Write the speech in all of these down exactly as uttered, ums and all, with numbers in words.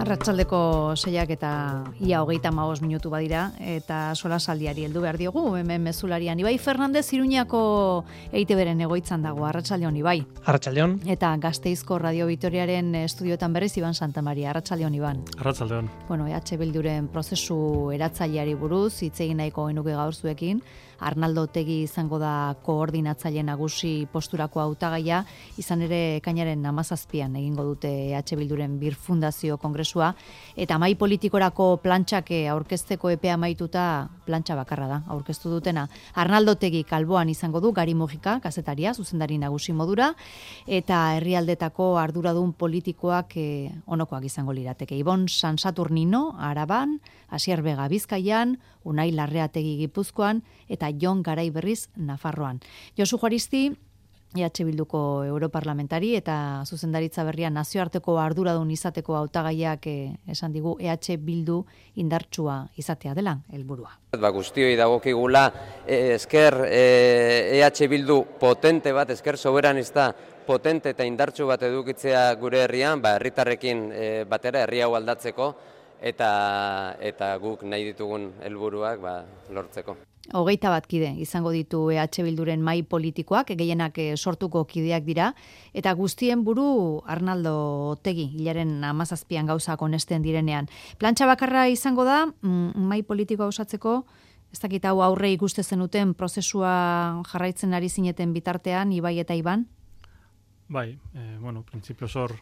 Arratsaldeko seiak eta ia hogeita hamabost minutu badira, eta solasaldiari heldu behar diogu, hemen mezularian. Ibai Fernandez Iruñako E I Te Beren egoitzan dago, arratsaldeon Ibai. Arratsaldeon. Eta Gasteizko Radio Vitoriaren estudioetan berriz Iban Santamaria, arratsaldeon Iban. Arratsaldeon. Bueno, E H Bilduren prozesu eratzaileari buruz hitz egin nahiko genuke gaur zuekin. Arnaldo Otegi izango da koordinatzaile nagusi posturako hautagaia, izan ere ekainaren hamazazpian egingo dute E H Bilduren Bir Fundazio Kongresua, eta mai politikorako plantxak aurkezteko epea amaituta plantxa bakarra da, aurkeztu dutena. Arnaldo Otegi alboan izango du Gari Mujika, kazetaria, zuzendari nagusi modura, eta herrialdetako arduradun politikoak eh, onokoak izango lirateke. Ibon San Saturnino, Araban, Asier Bega Bizkaian, Unai Larreategi Gipuzkoan, eta Jon Garai Berriz Nafarroan. Josu Juaristi, E H Bilduko europarlamentari eta zuzendaritza berria nazioarteko arduradun izateko hautagaiak eh, esan digu E H Bildu indartsua izatea dela helburua. Ba, guztioi dagokigula eh, esker eh, E H Bildu potente bat, esker soberanista potente eta indartsu bat edukitzea gure herrian, ba, herritarrekin eh, batera herri hau aldatzeko eta eta guk nahi ditugun helburuak ba, lortzeko. Hogeita bat kide izango ditu E H Bilduren mai politikoak, gehienak sortuko kideak dira, eta guztien buru Arnaldo Otegi, hilaren hamazazpian gauzak onesten direnean. Plantxa bakarra izango da, mm, mai politikoa osatzeko, ez dakit hau aurre ikuste zenuten prozesua jarraitzen ari zineten bitartean, Ibai eta Iban? Bai, eh, bueno, printzipio zor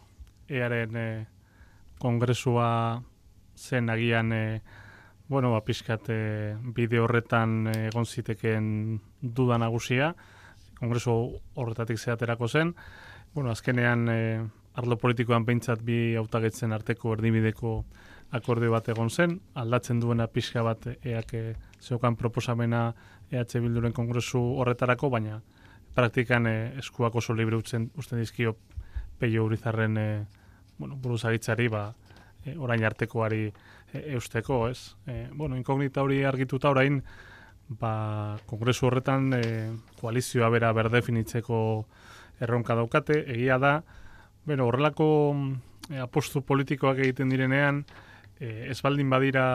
earen eh, kongresua zen agian eh, Bueno, ba, pixkat e, bide horretan egon ziteken duda nagusia, kongresu horretatik zeaterako zen. Bueno, azkenean e, arlo politikoan behintzat bi hautagetzen arteko erdibideko akordio bat egon zen, aldatzen duena pixka bat eak e, zeukan proposamena E H Bilduren kongresu horretarako, baina praktikan e, eskuak oso libre utzen, usten dizkio Peio Urizarren e, bueno, buruzagitzari, ba, e, orain artekoari eusteko, ez? E, bueno, inkognita hori argituta orain, ba, kongresu horretan e, koalizioa bera berdefinitzeko erronka daukate, egia da, bueno, horrelako e, apostu politikoak egiten direnean, e, ez baldin badira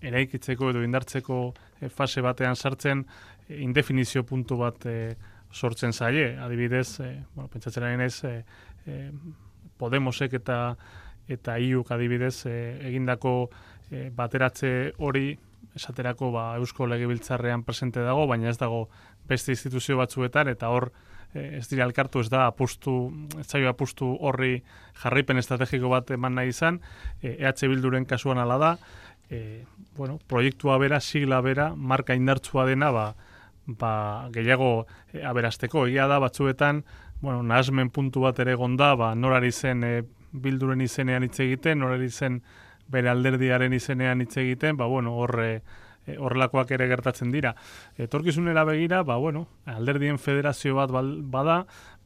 eraikitzeko edo indartzeko e, fase batean sartzen, e, indefinizio puntu bat e, sortzen zaie, adibidez, e, bueno, pentsatzen ez, e, e, Podemosek eta eta iuk adibidez e, egindako e, bateratze hori esaterako ba, Eusko Legebiltzarrean presente dago, baina ez dago beste instituzio batzuetan, eta hor e, ez dira elkartu, ez da apustu, ez zaio apustu horri jarraipen estrategiko bat eman nahi izan, e, E H Bilduren kasuan ala da, e, bueno, proiektua bera, sigla bera, marka indartsua dena, ba, ba, gehiago e, aberasteko, egia da batzuetan, bueno, nahasmen puntu bat ere gonda, ba, norari zen e, Bilduren izenean hitz egiten, norari zen bere alderdiaren izenean hitz egiten, ba, bueno, horre, horrelakoak ere gertatzen dira. Etorkizunera begira, ba, bueno, alderdien federazio bat bada,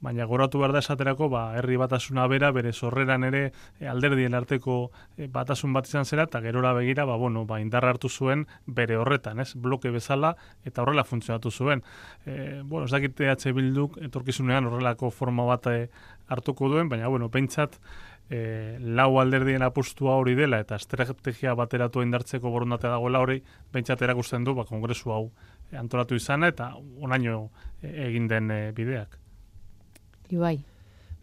baina goratu behar da esaterako, ba, herri batasuna bera, bere sorreran ere alderdien arteko batasun bat izan zera, eta gerora begira, ba, bueno, ba, indarra hartu zuen bere horretan, ez, bloke bezala, eta horrela funtzionatu zuen. E, bueno, ez dakit E H Bilduk etorkizunean horrelako forma bat hartuko duen, baina, bueno, pentsat, E, lau alderdien apustua hori dela eta estrategia bateratu indartzeko borondatea dagoela hori behintzat erakusten du ba, kongresu hau antolatu izana eta onaino egin den e, bideak. Ibai.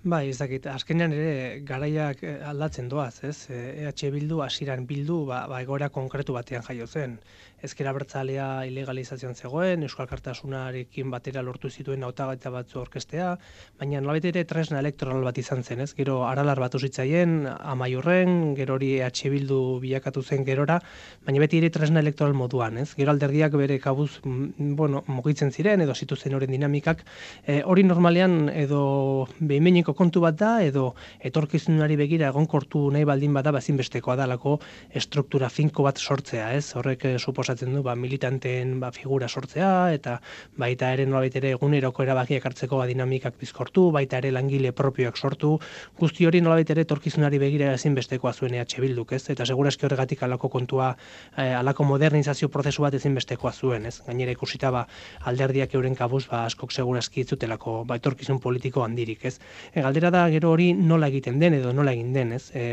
Bai, ez dakit, azkenean ere garaiak aldatzen doaz, ez? E H Bildu, hasieran Bildu, ba, ba egoera konkretu batean jaio zen. Ezker Abertzalea ilegalizazioan zegoen, Euskal Alkartasunarekin batera lortu zituen hautagaitza batzu orkestea, baina nolabait ere tresna elektoral bat izan zen, ez? Gero Aralar batu zitzaien, Amaiurren, gero hori E H Bildu bilakatu zen gerora, baina beti ere tresna elektoral moduan, ez? Gero alderdiak bere kabuz, bueno, mugitzen ziren edo zituzen horren dinamikak, e, hori normalean edo behimeniko kontu bat da, edo etorkizunari begira egonkortu nahi baldin bada bazinbestekoa dalako estruktura finko bat sortzea, ez? Horrek suposatzen du ba, militanteen ba, figura sortzea, eta baita ere nolabait ere eguneroko erabakiak hartzeko ba, dinamikak bizkortu, baita ere langile propioak sortu, guzti hori nolabait ere etorkizunari begira ezinbestekoa zuen E H Bilduk, ez? Eta segurazki horregatik alako kontua, eh, alako modernizazio prozesu bat ezinbestekoa zuen, ez? Gainera ikusita ba, alderdiak euren kabuz ba, askok segurazki itzutelako ba, etorkizun politiko handirik, ez? E, galdera da gero hori nola egiten den edo nola egin den, ez? E,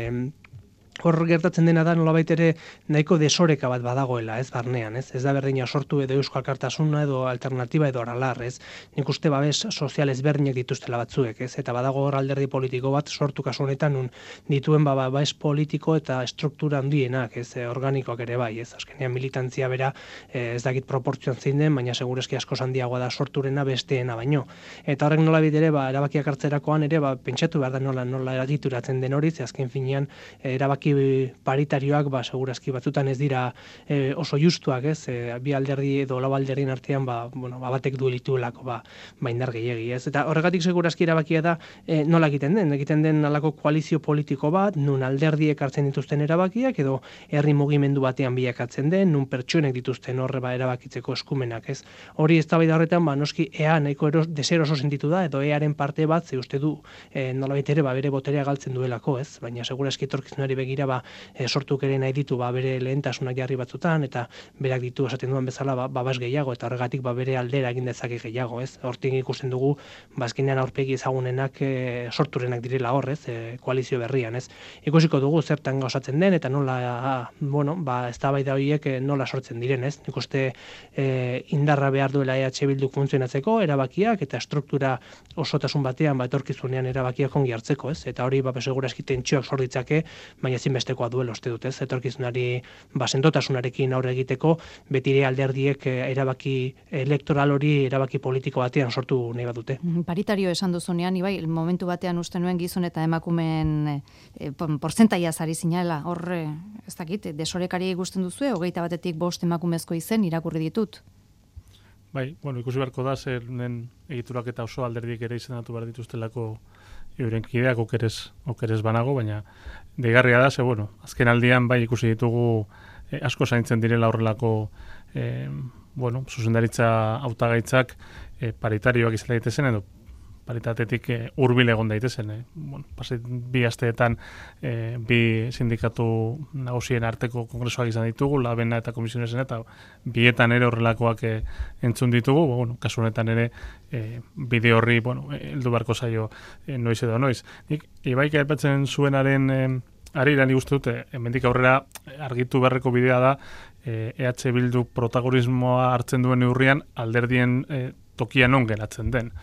hor gertatzen dena da nolabait ere nahiko desoreka bat badagoela, ez barnean, ez? Ez da berdina sortu edo Eusko Alkartasuna edo Alternatiba edo Aralar, ez? Nik uste babes sozial ezberdinak dituztela batzuek, ez? Eta badago hor alderdi politiko bat sortu kasu honetan nun dituen ba babes politiko eta struktura handienak, ez? Organikoak ere bai, ez? Azkenean militantzia bera ez dakit proportzioan zein den, baina segureski asko handiagoa da sorturena besteena baino. Eta horrek nolabait ere ba erabakiak hartzerakoan ere ba pentsatu behar da nola nola eragituratzen den hori, ze azken finean erabaki paritarioak ba segurazki batzutan ez dira e, oso justuak, ez? E, bi alderdi edo lau alderdien artean ba bueno, ba batek du lituelako ba ba indar gehiegi, ez? Eta horregatik segurazki erabakia da e, nola egiten den, egiten den halako koalizio politiko bat, nun alderdiek hartzen dituzten erabakiak edo herri mugimendu batean bilakatzen den, nun pertsonek dituzten horre ba erabakitzeko eskumenak, ez? Hori eztabaida horretan ba noski ea nahiko eros deseroso sentitu da edo earen parte bat ze uste du e, nolabait ere ba bere boterea galtzen duelako, ez? Baina segurazki etorkizunari begira ba e, sortuk ere nahi ditu ba bere lehentasunak jarri batzutan eta berak ditu esaten duen bezala ba babas gehiago eta horregatik ba bere aldera egin dezake gehiago, ez? Hortik ikusten dugu ba azkenean aurpegi ezagunenak e, sorturenak direla hor, ez? E, koalizio berrian, ez? Ikusiko dugu zertan gauzatzen den eta nola a, bueno, ba eztabaida horiek e, nola sortzen diren, ez? Nik uste e, indarra behar duela E H Bilduk funtzionatzeko erabakiak eta struktura osotasun batean ba etorkizunean erabakiak ongi hartzeko, ez? Eta hori ba segurazki tentsioak sor ditzake, baina ezinbestekoa duela uste dut, ez? Etorkizunari ba sendotasunarekin aurre egiteko betire alderdiek erabaki elektoral hori erabaki politiko batean sortu nahi badute. Paritario esan duzunean, Ibai, momentu batean uste nuen gizon eta emakumeen e, portzentaia zari zinela, hor ez dakit, desorekari gusten duzue, hogeita batetik bost emakumezko izen irakurri ditut. Bai, bueno, ikusi beharko da zer den egiturak eta oso alderdiek ere izendatu behar dituztelako euren kideak okeres, okeres banago, baina deigarria da, ze, bueno, azken aldian bai ikusi ditugu eh, asko zaintzen direla horrelako eh, bueno, zuzendaritza hautagaitzak eh, paritarioak izan daitezen edo paritatetik eh, hurbil egon daitezen. Eh. Bueno, pasit, bi asteetan eh, bi sindikatu nagusien arteko kongresoak izan ditugu, labena eta komisionesen eta bietan ere horrelakoak eh, entzun ditugu, bueno, kasu honetan ere eh, bide horri, bueno, heldu beharko zaio eh, noiz edo noiz. Nik, Ibaik aipatzen zuenaren eh, arira nik uste dute, hemendik aurrera argitu beharreko bidea da eh, E H Bildu protagonismoa hartzen duen neurrian alderdien eh, tokian on geratzen den.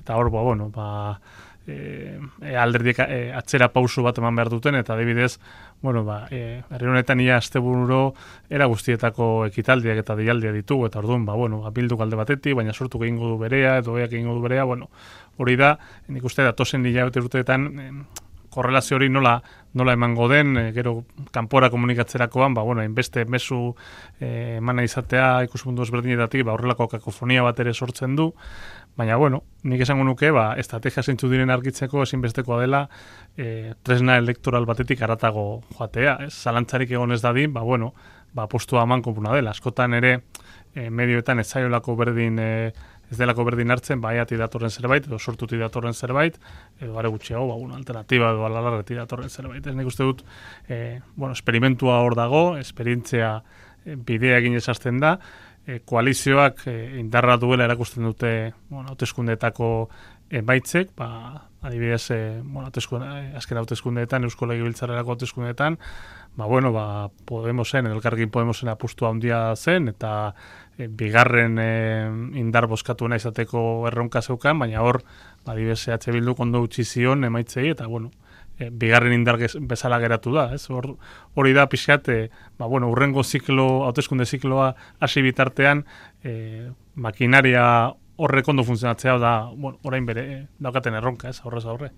Eta hor, ba, bueno, ba, e, alderdiek e, atzera pausu bat eman behar duten, eta adibidez, bueno, ba, e, herri honetan ia asteburu era guztietako ekitaldiak eta deialdia ditugu, eta orduan, ba, bueno, Bilduk alde batetik, baina sortu egingo du berea, edo eak egingo du berea, bueno, hori da, nik uste datozen hilabete urteetan, e, korrelazio hori nola nola emango den, e, gero kanpora komunikatzerakoan, ba, bueno, hainbeste mezu e, emana izatea ikuspuntu ezberdinetatik, ba, horrelako kakofonia bat ere sortzen du, baina, bueno, nik esango nuke, ba, estrategia zeintzu diren argitzeko ezinbestekoa dela e, tresna elektoral batetik haratago joatea, ez? Zalantzarik egon ez dadin, ba, bueno, ba, postua eman kopuna dela. Askotan ere, e, medioetan ez zaiolako berdin, e, ez delako berdin hartzen, ba, eati datorren zerbait, edo sortuti datorren zerbait, edo are gutxiago, ba, una alternativa edo alalarreti datorren zerbait. Ez nik uste dut, e, bueno, esperimentua hor dago, esperientzia e, bidea egin esazten da, E, koalizioak e, indarra duela erakusten dute bueno, hauteskundeetako emaitzek, ba, adibidez, e, bueno, hauteskunde, azken hauteskundeetan, Eusko Legebiltzarrerako hauteskundeetan, ba, bueno, ba, Podemosen, Elkarrekin Podemosen apustu handia zen, eta e, bigarren e, indar bozkatuena izateko erronka zeukan, baina hor, ba, adibidez, E H Bilduk ondo utzi zion emaitzei, eta, bueno, E, bigarren indar bezala geratu da, ez? Hor, hori da pixkat, e, ba, bueno, urrengo ziklo, hauteskunde zikloa hasi bitartean, e, makinaria horrek ondo funtzionatzea da, bueno, orain bere e, daukaten erronka, ez? Horrez aurre.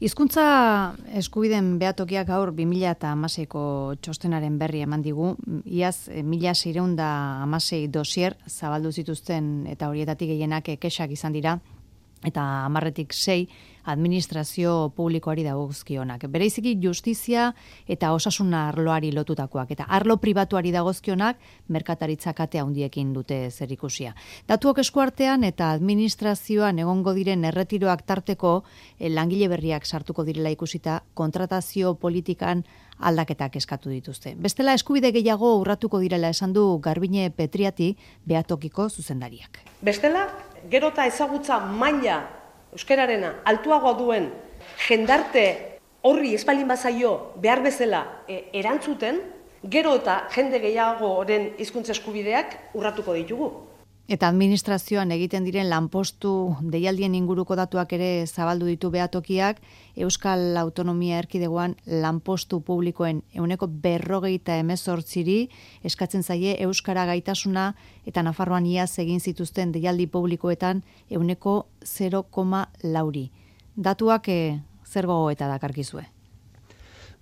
Hizkuntza eskubideen behatokiak gaur bi mila hamaseiko txostenaren berri eman digu, iaz mila seiehun eta hamasei dosier zabaldu zituzten eta horietatik gehienak kexak izan dira, eta hamarretik sei administrazio publikoari dagozkionak. Bereiziki justizia eta osasun arloari lotutakoak, eta arlo pribatuari dagozkionak merkataritza kate handiekin dute zerikusia. Datuok eskuartean eta administrazioan egongo diren erretiroak tarteko eh, langile berriak sartuko direla ikusita kontratazio politikan aldaketak eskatu dituzte. Bestela eskubide gehiago urratuko direla esan du Garbine Petriati behatokiko zuzendariak. Bestela, gero eta ezagutza maila euskararena altuagoa duen jendarte horri espalin bazaio behar bezala e, erantzuten, gero eta jende gehiagoren hizkuntza eskubideak urratuko ditugu. Eta administrazioan egiten diren lanpostu deialdien inguruko datuak ere zabaldu ditu behatokiak, Euskal Autonomia Erkidegoan lanpostu publikoen ehuneko berrogeita hemezortziri eskatzen zaie euskara gaitasuna eta Nafarroan iaz egin zituzten deialdi publikoetan ehuneko zero koma lauri. Datuak eh, zer gogoeta dakarkizue?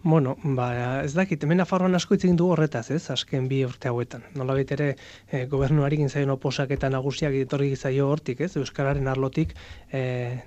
Bueno, ba, ez dakit, hemen Nafarroan asko hitz egin du horretaz, ez, azken bi urte hauetan. Nolabait ere, e, gobernuari egin zaion oposak eta nagusiak etorri zaio hortik, ez, euskararen arlotik, e,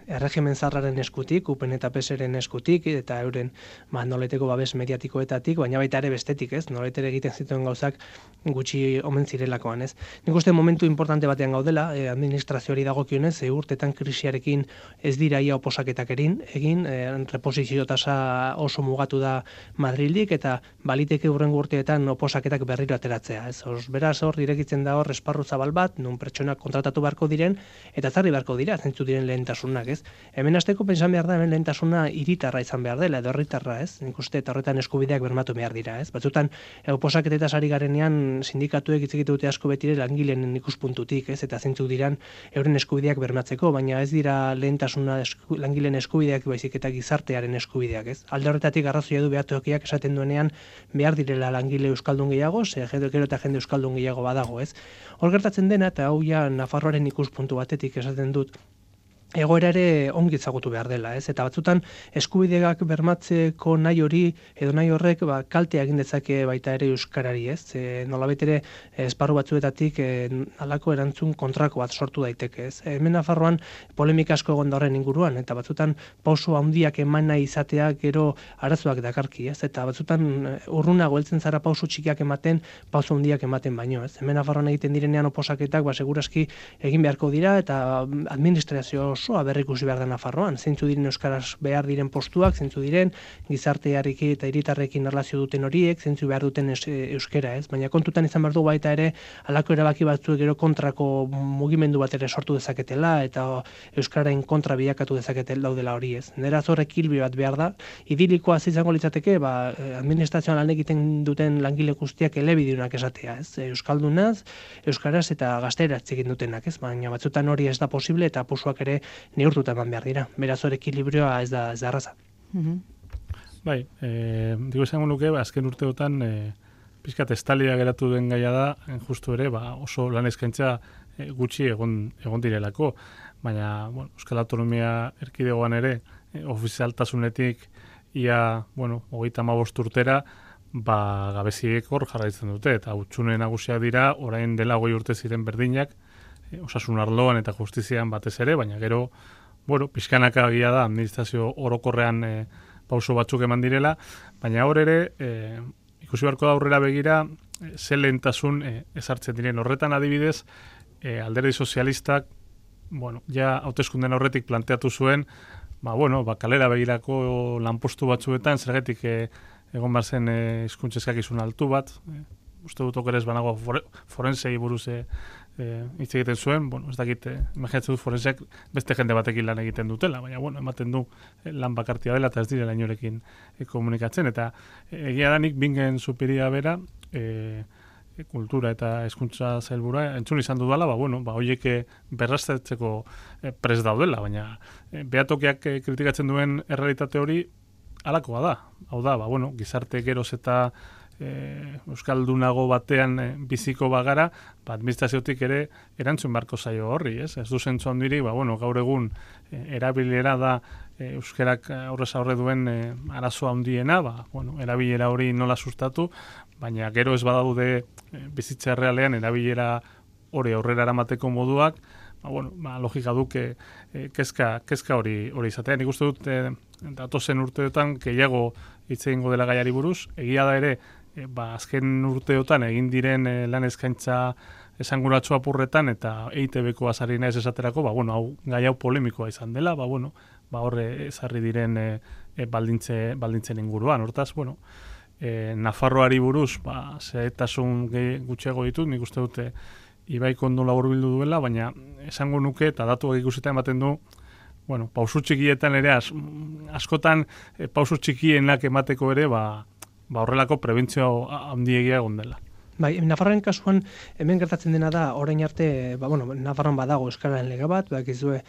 erregimen zarraren eskutik, upen eta peseren eskutik, eta euren, ba, noleteko babes mediatikoetatik, baina baita ere bestetik, ez, nolait ere egiten zituen gauzak gutxi omen zirelakoan, ez. Nik uste momentu importante batean gaudela, e, administrazioari dagokionez, e, urtetan krisiarekin ez dira ia oposaketak erin, egin, e, reposizio tasa oso mugatu da Madrildik eta baliteke hurrengo urteetan oposaketak berriro ateratzea. Ez, os, beraz hor irekitzen da hor esparru zabal bat, non pertsonak kontratatu beharko diren eta zarri beharko dira, zentzu diren lehentasunak, ez. Hemen hasteko pentsan behar da, hemen lehentasuna hiritarra izan behar dela, edo herritarra, ez. Nik uste eta horretan eskubideak bermatu behar dira, ez. Batzutan oposaketetaz ari garenean sindikatuek hitz egiten dute asko betire langileen ikuspuntutik, ez, eta zentzu diran euren eskubideak bermatzeko, baina ez dira lehentasuna esku, langileen eskubideak baizik eta gizartearen eskubideak, ez. Alde horretatik arrazoia du behatokiak esaten duenean behar direla langile euskaldun gehiago, ze gero eta jende euskaldun gehiago badago, ez. Hor gertatzen dena, eta hau ja Nafarroaren ikuspuntu batetik esaten dut, egoera ere ongi ezagutu behar dela, ez? Eta batzutan eskubideak bermatzeko nahi hori edo nahi horrek ba, kaltea egin dezake baita ere euskarari, ez? E, nolabait ere esparru batzuetatik e, halako erantzun kontrako bat sortu daiteke, ez? Hemen Nafarroan polemika asko egon da horren inguruan, eta batzutan pauso handiak eman nahi izatea gero arazoak dakarki, ez? Eta batzutan urrunago heltzen zara pauso txikiak ematen, pauso handiak ematen baino, ez? Hemen Nafarroan egiten direnean oposaketak ba seguraski egin beharko dira eta administrazio osoa berrikusi behar da Nafarroan, zeintzu diren euskaraz behar diren postuak, zeintzu diren gizartearekin eta hiritarrekin erlazio duten horiek, zeintzu behar duten euskera, ez? Baina kontutan izan behar du baita ere halako erabaki batzuek gero kontrako mugimendu bat ere sortu dezaketela eta euskararen kontra bilakatu dezaketela daudela hori, ez? Nera zor ekilibrio bat behar da, idilikoa izango litzateke, ba, administrazioan lan egiten duten langile guztiak elebidunak esatea, ez? Euskaldunaz, euskaraz eta gazteraz egin dutenak, ez? Baina batzutan hori ez da posible eta posuak ere neurtuta eman behar dira. Beraz hor ekilibrioa ez da, ez da arraza. Mm-hmm. Bai, e, digo izango nuke, ba, azken urteotan e, pizkat estalia geratu den gaia da, justu ere, ba, oso lan eskaintza e, gutxi egon, egon direlako. Baina, bueno, Euskal Autonomia Erkidegoan ere, e, ofizialtasunetik ia, bueno, hogeita hamabost urtera, ba, gabeziek hor jarraitzen dute, eta hutsune nagusiak dira, orain dela hogei urte ziren berdinak, osasun arloan eta justizian batez ere, baina gero, bueno, pixkanaka agia da, administrazio orokorrean e, pauso batzuk eman direla, baina hor ere, e, ikusi beharko da aurrera begira, e, ze lehentasun e, ezartzen diren. Horretan adibidez, e, alderdi sozialistak, bueno, ja hauteskunden horretik planteatu zuen, ba, bueno, ba, kalera begirako lanpostu batzuetan, zergatik e, egon behar zen e, hizkuntza eskakizun altu bat, e, uste dut okerez banago forensei buruz e, hitz e, egiten zuen, bueno, ez dakit, e, imaginatzen dut forenseak beste jende batekin lan egiten dutela, baina, bueno, ematen du e, lan bakartia dela eta ez direla inorekin e, komunikatzen, eta e, egia da nik bingen supiria bera, e, e, kultura eta hezkuntza sailburua entzun izan dudala, ba, bueno, ba, horiek berraztertzeko e, prest daudela, baina e, behatokiak e, kritikatzen duen errealitate hori halakoa da, hau da, ba, bueno, gizarte geroz eta E, euskaldunago batean e, biziko bagara, ba, administraziotik ere erantzun beharko zaio horri, ez? Ez du zentzu handiri, ba, bueno, gaur egun e, erabilera da e, euskerak aurrez aurre duen e, arazo handiena, ba, bueno, erabilera hori nola sustatu, baina gero ez badaude e, bizitza realean erabilera hori aurrera eramateko moduak, ba, bueno, ba, logika duke e, kezka, kezka hori hori izatea. Nik uste dut, e, datozen urteotan, gehiago hitz egingo dela gaiari buruz, egia da ere, E, ba, azken urteotan egin diren e, lan eskaintza esanguratsu apurretan eta E I T B-ko azari naiz esaterako, ba, bueno, hau, gai hau polemikoa izan dela, ba, bueno, ba, horre ezarri diren e, e, baldintze, baldintzen inguruan. Hortaz, bueno, e, Nafarroari buruz, ba, zehetasun gutxiago ditut, nik uste dute Ibaik ondo laburbildu duela, baina esango nuke, eta datuak ikusita ematen du, bueno, pausu txikietan ere, as, askotan e, pausu txikienak emateko ere, ba, ba horrelako prebentzio handiegia egon dela. Bai, Nafarroaren kasuan hemen gertatzen dena da orain arte, ba bueno, Nafarroan badago euskararen lege bat, bakizue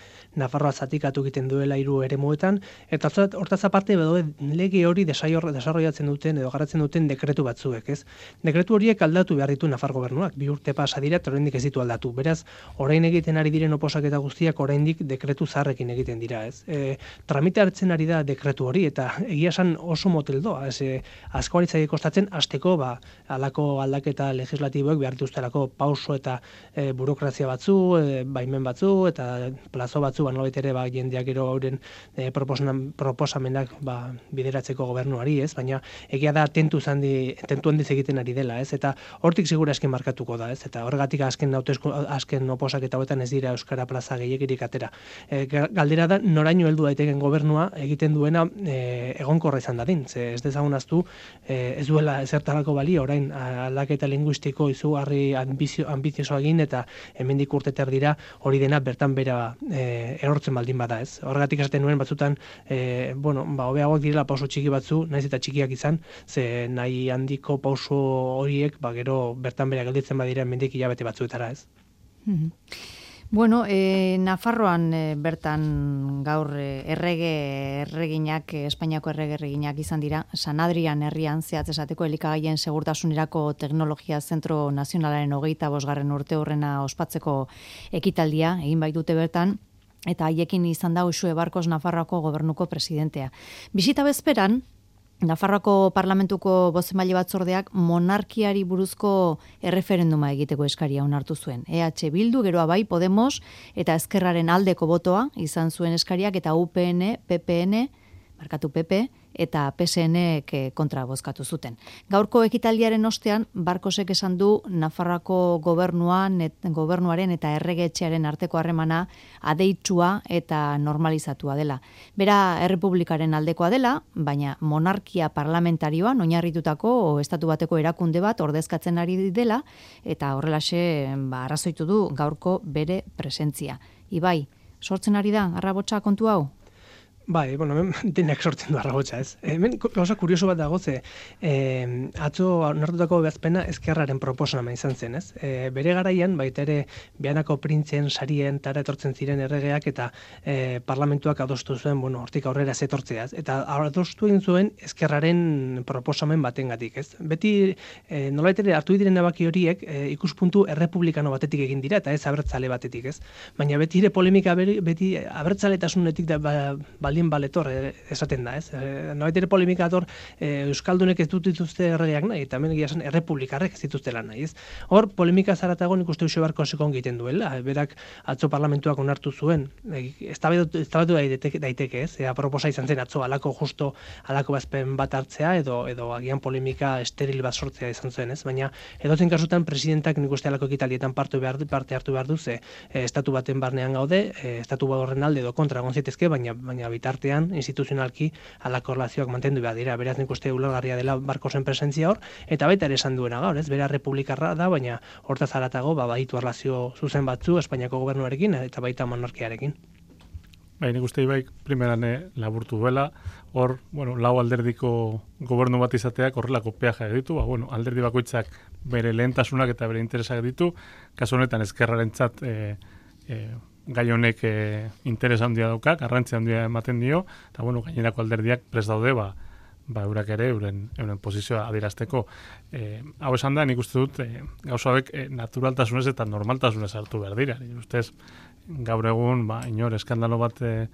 Nafarroa zatikatu egiten duela hiru eremuetan eta hortaz aparte badu lege hori desarrollatzen duten edo garatzen duten dekretu batzuek, ez? Dekretu horiek aldatu behar ditu Nafar gobernuak, bi urte pasa dira eta oraindik ez ditu aldatu. Beraz, orain egiten ari diren oposaketa guztiak oraindik dekretu zaharrekin egiten dira, ez? E, tramite hartzen ari da dekretu hori eta egia esan oso moteldoa, ez? E, asko aritzai kostatzen hasteko, ba, halako aldaketa eta legislatiboek behar dituztelako pauso eta e, burokrazia batzu, e, baimen batzu eta plazo batzu, ba, nolabait ere ba, jendeak gero hauren e, proposamenak ba, bideratzeko gobernuari, ez? Baina egia da tentu handi tentu handiz egiten ari dela, ez? Eta hortik segura esken markatuko da, ez? Eta horregatik azken hautesku azken oposaketa hauetan ez dira euskara plaza gehiegirik atera. E, galdera da noraino heldu daiteken gobernua egiten duena e, egonkorra izan dadin. Ze ez dezagun ahaztu e, ez duela ezertarako balio orain aldaketa linguistiko izugarri ambizio, ambizioso egin eta hemendik urte terdira hori dena bertan bera e, erortzen baldin bada, ez? Horregatik esaten nuen batzutan e, bueno, ba hobeagoak direla pauso txiki batzu, naiz eta txikiak izan, ze nahi handiko pauso horiek ba gero bertan bera gelditzen badira hemendik hilabete batzuetara, ez? Mm-hmm. Bueno, e, Nafarroan e, bertan gaur e, errege erreginak, e, Espainiako errege erreginak izan dira, San Adrian herrian zehatz esateko elikagaien segurtasunerako teknologia zentro nazionalaren hogeita bosgarren urte horrena ospatzeko ekitaldia, egin baitute bertan, eta haiekin izan da Uxue Barkos Nafarroako gobernuko presidentea. Bisita bezperan, Nafarroako parlamentuko bozemaile batzordeak monarkiari buruzko erreferenduma egiteko eskaria onartu zuen. E H Bildu, geroa bai, Podemos eta Ezkerraren aldeko botoa izan zuen eskariak eta U P N, P P N, markatu P P, eta P S N-ek kontra bozkatu zuten. Gaurko ekitaldiaren ostean, Barkosek esan du Nafarroako gobernuan, et, gobernuaren eta erregetxearen arteko harremana adeitsua eta normalizatua dela. Bera, errepublikaren aldekoa dela, baina monarkia parlamentarioan oinarritutako o estatu bateko erakunde bat ordezkatzen ari dela, eta horrelaxe ba, arrazoitu du gaurko bere presentzia. Ibai, sortzen ari da, arrabotsa kontu hau? Bai, bueno, hemen denak sortzen du arrabotsa, ez? Hemen gauza kurioso bat dago, ze eh, atzo onartutako ebazpena Ezkerraren proposamena izan zen, ez? E, bere garaian, baita ere, Beanako printzen, sarien, tara etortzen ziren erregeak eta e, parlamentuak adostu zuen, bueno, hortik aurrera zetortzeaz. Eta adostu egin zuen Ezkerraren proposamen batengatik, ez? Beti, e, nolabait ere, hartu diren erabaki horiek e, ikuspuntu errepublikano batetik egin dira, eta ez abertzale batetik, ez? Baina beti ere polemika beti abertzaletasunetik da ba, baldin baletor esaten da, ez? E, nolabait ere polemikator e, euskaldunek ez dut dituzte erregeak nahi, eta hemen egia esan errepublikarrek ez dituztela nahi, ez? Hor, polemika zaratago nik uste Uxue Barkosek egiten duela, berak atzo parlamentuak onartu zuen, eztabaidatu daiteke, daiteke, ez? Ea proposa izan zen atzo alako justo alako bazpen bat hartzea edo edo agian polemika esteril bat sortzea izan zuen, ez? Baina edozein kasutan presidentak nik uste alako ekitaldietan parte behar parte hartu behar du, ze e, estatu baten barnean gaude, e, estatu horren alde edo kontra egon zitezke, baina baina bitartean instituzionalki halako erlazioak mantendu behar dira. Beraz nik uste ulergarria dela Barkosen presentzia hor, eta baita ere esan duena gaur, ez? Bera republikarra da, baina hortaz haratago ba baditu erlazio zuzen batzu Espainiako gobernuarekin eta baita monarkiarekin. Bai, nik uste Ibai primeran laburtu duela, hor, bueno, lau alderdiko gobernu bat izateak horrelako peaja ditu, ba, bueno, alderdi bakoitzak bere lehentasunak eta bere interesak ditu, kasu honetan Ezkerrarentzat e, e, gai honek e, interes handia dauka, garrantzia handia ematen dio, eta bueno, gainerako alderdiak prest daude, ba, ba eurak ere, euren, euren posizioa adierazteko. E, hau esan da, nik uste dut, e, gauza hauek e, naturaltasunez eta normaltasunez hartu behar dira. Nik ustez, gaur egun, ba, inor, eskandalo bat, e,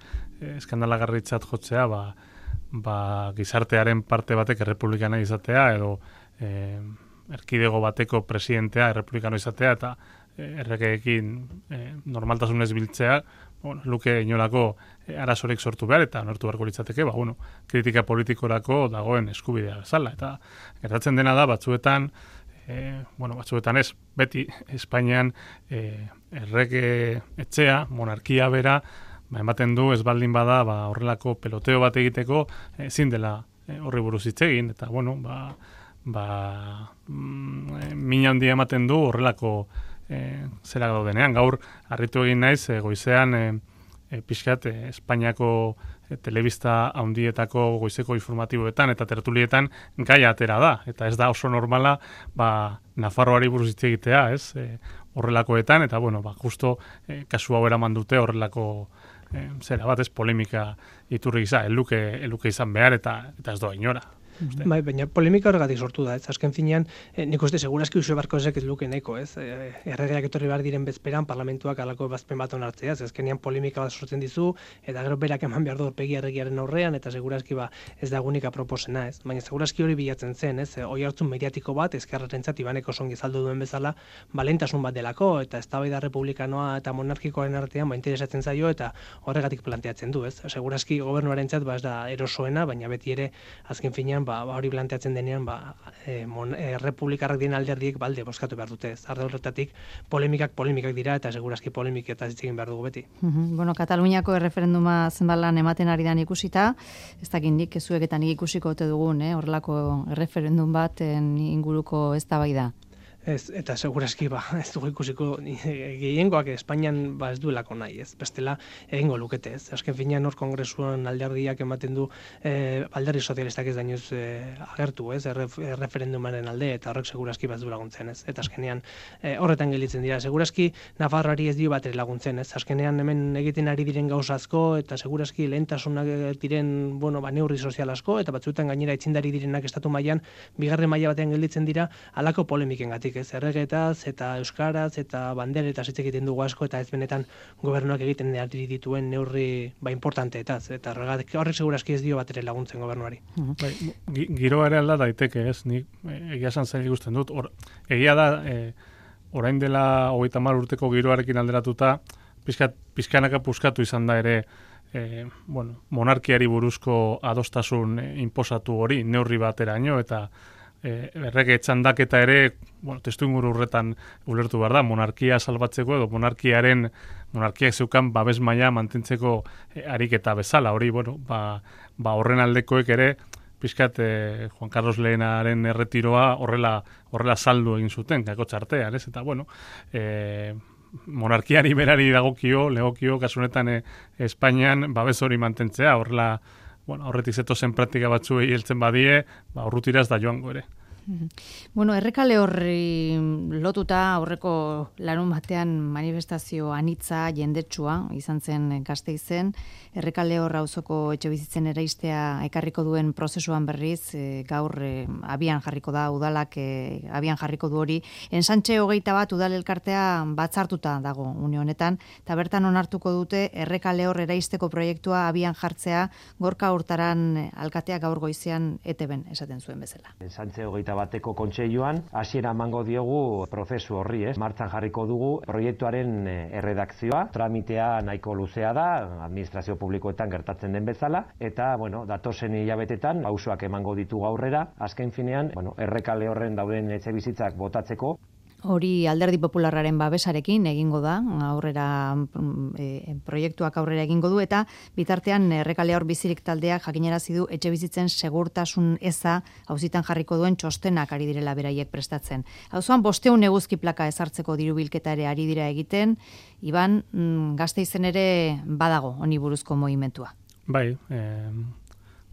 eskandalagarritzat jotzea, ba, ba, gizartearen parte batek errepublikana izatea, edo e, erkidego bateko presidentea errepublikano izatea, eta erregeekin e, normaltasunez biltzea, bueno, luke inolako e, arazorik sortu behar, eta nortu beharko litzateke, ba, bueno, kritika politikorako dagoen eskubidea bezala. Eta gertatzen dena da, batzuetan, e, bueno, batzuetan ez, beti Espainian e, errege etxea, monarkia bera, ba, ematen du ez baldin bada, ba, horrelako peloteo bat egiteko, ezin dela e, horri buruz hitz egin, eta, bueno, ba, ba, mm, min handia ematen du horrelako E, zera daudenean. Gaur harritu egin naiz, e, goizean e, e, pixkat e, Espainiako e, telebista handietako goizeko informatiboetan eta tertulietan gaia atera da. Eta ez da oso normala ba, Nafarroari buruz hitz egitea, ez? E, horrelakoetan, eta bueno, ba, justo e, kasu hau eraman dute horrelako e, zera bat, ez, polemika iturri gisa, eluke, eluke izan behar eta, eta ez doa inora. Bai, baina polemika horregatik sortu da, ez azken finean, eh, nik uste segurazki Uxue Barkozek ez luke nahiko, ez? Eh, erregeak etorri behar diren bezperan parlamentuak alako ebazpen bat onartzea, ez azkenean polemika bat sortzen dizu, eta gero berak eman behar du aurpegi erregiaren aurrean, eta segurazki ba ez da egunik aproposena, ez? Baina segurazki hori bilatzen zen, ez? Oi hartzun mediatiko bat, ezkerrarentzat Ibaneko songi saldu duen bezala, balentasun bat delako, eta eztabaida republikanoa eta monarkikoaren artean ba interesatzen zaio, eta horregatik planteatzen du, ez? Segurazki gobernuarentzat ba ez da erosoena, baina beti ere azken finean ba, ba hori planteatzen denean ba e, mon, e, republikarrak dien alderdiek balde bozkatu behar dute. Arde horretatik polemikak polemikak dira eta segurazki polemiketaz hitz egin behar dugu beti. Mm-hmm. Bueno, Kataluniako erreferenduma zenbalan ematen ari dan ikusita, ez dakit nik zueketan ikusiko ote dugun, eh, horrelako erreferendum baten inguruko eztabaida. Ez, eta segurazki ba, ez dugu ikusiko gehiengoak Espainian ba ez duelako nahi, ez? Bestela egingo lukete, ez? Azken finean hor kongresuan alderdiak ematen du eh, alderdi sozialistak ez dainoz eh, agertu, ez? Erref, referendumaren alde eta horrek segurazki bat du laguntzen, ez? Eta azkenean eh, horretan gelditzen dira. Segurazki Nafarroari ez dio bat ere laguntzen, ez? Azkenean hemen egiten ari diren gauza asko eta segurazki lehentasunak diren, bueno, ba neurri sozial asko eta batzuetan gainera itzindari direnak estatu mailan bigarren maila batean gelditzen dira halako polemikengatik. Ez erregetaz eta euskaraz eta banderetaz hitz egiten dugu asko eta ez benetan gobernuak egiten ari dituen neurri ba importanteetaz eta horrek horrek segurazki ez dio bat ere laguntzen gobernuari. Bai, giroa ere alda daiteke, ez? Nik egia esan zaila ikusten dut. Or, egia da e, orain dela hogeita hamar urteko giroarekin alderatuta pizkat pizkanaka puskatu izan da ere e, bueno, monarkiari buruzko adostasun e, inposatu hori neurri bateraino eta E, errege txandaketa ere, bueno, testu inguru horretan ulertu behar da, monarkia salbatzeko edo monarkiaren, monarkiak zeukan babes maila mantentzeko e, ariketa bezala, hori, bueno, ba, ba horren aldekoek ere, pixkat e, Juan Carlos lehenaren erretiroa horrela, horrela saldu egin zuten, kako txartean, ez? Eta, bueno, e, monarkiari berari dagokio, legokio, kasunetan e, Espainian babes hori mantentzea, horrela, bueno, horretik zetozen praktika batzuei heltzen badie, ba, urrutiraz da joango ere. Bueno, errekale horri lotuta aurreko larun batean manifestazio anitza jendetsua izan zen Gasteizen. Errekale hor auzoko etxebizitzen eraistea ekarriko duen prozesuan berriz e, gaur e, abian jarriko da udalak e, abian jarriko du hori. Ensantxe hogeita bat udal elkartea batzartuta dago une honetan eta bertan onartuko dute errekale hor eraisteko proiektua abian jartzea Gorka Hurtaran alkatea gaur goizean E T Bn esaten zuen bezala. Ensantxe hogeita bateko kontseiluan hasiera emango diogu prozesu horri, ez? Martxan jarriko dugu proiektuaren erredakzioa, tramitea nahiko luzea da, administrazio publikoetan gertatzen den bezala, eta, bueno, datozen hilabetetan pausoak emango ditugu aurrera, azken finean, bueno, errekale horren dauden etxebizitzak botatzeko. Hori Alderdi Popularraren babesarekin egingo da, aurrera e, proiektuak aurrera egingo du eta bitartean errekale hor bizirik taldeak jakinarazi du etxebizitzen segurtasun eza auzitan jarriko duen txostenak ari direla beraiek prestatzen. Auzoan bostehun eguzki plaka ezartzeko diru bilketa ere ari dira egiten, Iban, mm, Gasteizen ere badago honi buruzko mugimentua. Bai, eh,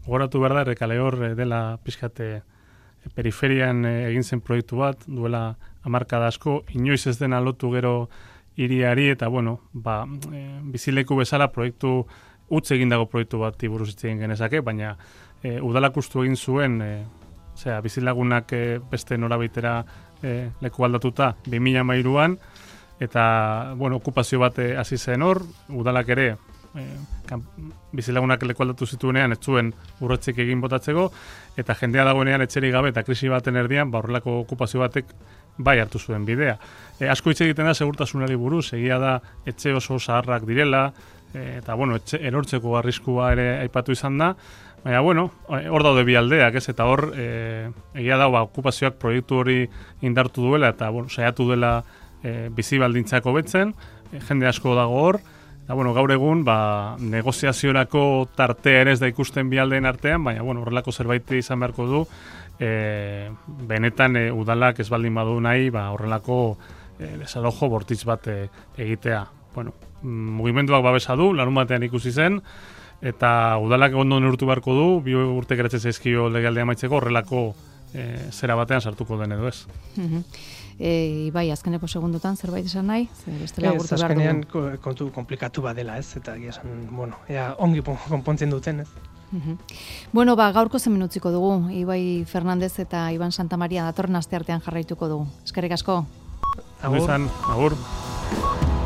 gogoratu behar da errekale hor dela pixkate periferian egin zen proiektu bat, duela hamarkada asko, inoiz ez dena lotu gero hiriari eta, bueno, ba, e, bizileku bezala proiektu, utz egin dago proiektu bat buruz hitz egin genezake, baina e, udalak ustu egin zuen, e, zera, bizilagunak e, beste norabitera e, leku aldatuta bi mila hamairuan, eta, bueno, okupazio bat hasi zen hor, udalak ere, E, kan, bizilagunak leku aldatu zituenean ez zuen urretzik egin botatzeko eta jendea dagoenean etxerik gabe eta krisi baten erdian ba horrelako okupazio batek bai hartu zuen bidea. E, asko hitz egiten da segurtasunari buruz, egia da etxe oso zaharrak direla e, eta bueno, etxe, erortzeko arriskua ere aipatu izan da, baina bueno, hor daude bi aldeak, ez, eta hor e, egia da ba, okupazioak proiektu hori indartu duela eta bueno, saiatu dela e, bizi baldintzak hobetzen, e, jende asko dago hor. Eta, bueno, gaur egun, ba, negoziaziorako tartea ere ez da ikusten bi aldeen artean, baina, bueno, horrelako zerbait izan beharko du, e, benetan e, udalak ez baldin badu nahi, ba, horrelako e, desalojo bortitz bat e, egitea. Bueno, mugimenduak babesa du, larun batean ikusi zen, eta udalak ondo neurtu beharko du, bi urte geratzen zaizkio legealdea amaitzeko horrelako e, zera batean sartuko den edo ez. E, bai, azkeneko segundotan zerbait esan nahi? Bestela ez, gurtu behar azkenean dugu. kontu komplikatu badela, ez? Eta egia esan, bueno, ea ongi konpontzen duten, ez? Uhum. Bueno, ba, gaurko zen minutziko dugu. Ibai Fernandez eta Iban Santamaria datorren asteartean jarraituko dugu. Eskerrik asko. Agur. Agur.